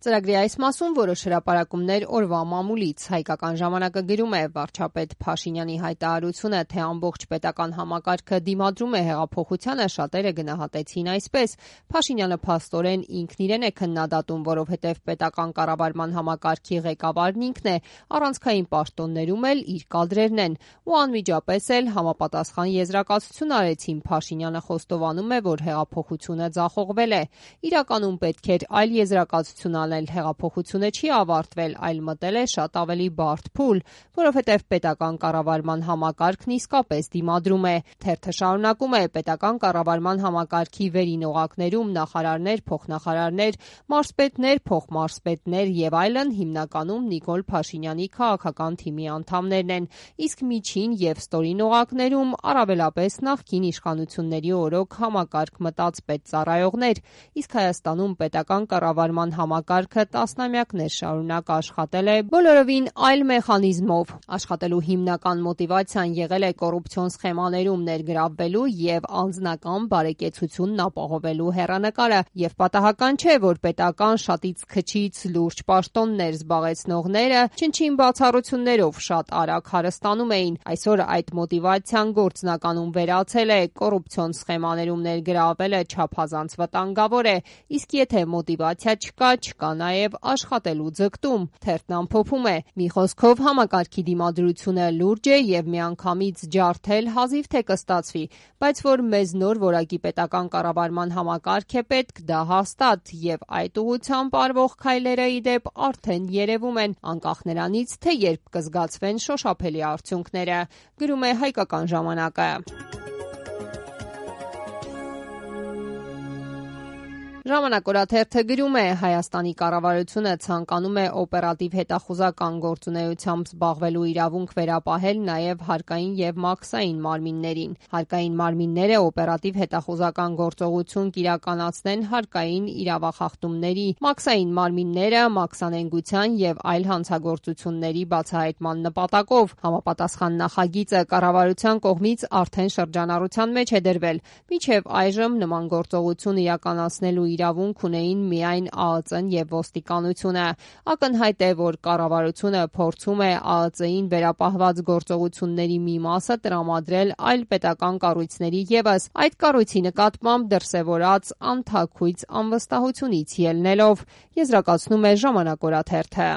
Ծրագրի այս մասում որոշ հրապարակումներ օրվա մամուլից։ Հայկական ժամանակը գրում է. վարչապետ Փաշինյանի հայտարարությունը, թե ամբողջ պետական համակարգը դիմադրում է հեղափոխությանը, շատերը գնահատեցին այսպես. Փաշինյանը փաստորեն ինքն իրեն է քննադատում, որովհետև պետական կառավարման համակարգի ղեկավարն ինքն է, առանցքային պաշտոններում էլ իր կադրերն են, ու անմիջապես էլ համապատասխան եզրակացություն արեցին. Փաշինյանը խոստովանում է, որ հեղափոխությունը ձախողվել է։ Իրականում պետք էր այլ եզրակացություն անել, հեղափոխությունը չի ավարտվել, այլ մտել է շատ ավելի բարդ փուլ, որովհետև պետական կառավարման համակարգն իսկապես դիմադրում է։ Թերթը շարունակում է. պետական կառավարման համակարգի վերին օղակներում նախարարներ, փոխնախարարներ, մարզպետներ, փոխմարզպետներ եւ այլն հիմնականում Նիկոլ Փաշինյանի քաղաքական թիմի անդամներն են, իսկ միջին եւ ստորին օղակներում առավելապես նախկին իշխանությունների օրոք համակարգ մտած պետծառայողներ, իսկ Հայաստանում պետական կառավարման համակարգը տասնամյակներ շարունակ աշխատել է բոլորովին այլ մեխանիզմով։ Աշխատելու հիմնական մոտիվացիան եղել է կոռուպցիոն սխեմաներում ներգրավվելու եւ անձնական բարեկեցությունն ապահովելու հեռանկարը, եւ պատահական չէ, որ պետական շատից քչից լուրջ պաշտոններ զբաղեցնողները չնչին բացառություններով շատ արագ հարստանում էին։ Այսօր այդ մոտիվացիան գործնականում վերացել է, կոռուպցիոն սխեմաներում ներգրավվելը չափազանց վտանգավոր է, իսկ եթե մոտիվացիա չկա, չկա նաև աշխատելու ձգտում։ Թերթն ամփոփում է. մի խոսքով համակարգի դիմադրությունը լուրջ է եւ միանգամից ջարդել հազիվ թե կստացվի, բայց որ մեզ նոր որակի պետական կառավարման համակարգ է պետք, դա հաստատ, եւ այդ ուղղությամբ արվող քայլերը ի դեպ արդեն երևում են, անկախ նրանից, թե երբ կզգացվեն շոշափելի արդյունքները, գրում է Հայկական ժամանակը։ Ժամանակ օրաթերթը գրում է. Հայաստանի կառավարությունը ցանկանում է օպերատիվ հետախուզական գործունեությամբ զբաղվելու իրավունք վերապահել նաև հարկային եւ մաքսային մարմիններին։ Հարկային մարմինները օպերատիվ հետախուզական գործողություն կիրականացնեն հարկային իրավախախտումների, մաքսային մարմինները մաքսանենգության եւ այլ հանցագործությունների բացահայտման նպատակով։ Համապատասխան նախագիծը կառավարության կողմից արդեն շրջանառության մեջ է դրվել։ Մինչև այժմ նման գործողություն իրականացնելու իրավունք ունեին միայն ԱԱԾ-ն եւ ոստիկանությունը։ Ակնհայտ է, որ կառավարությունը փորձում է ԱԱԾ-ին վերապահված գործողությունների մի մասը տրամադրել այլ պետական կառույցների ևս, այդ կառույցի նկատմամբ դրսևորած անթաքույց անվստահությունից ելնելով, եզրակացնում է Ժամանակ օրաթերթը։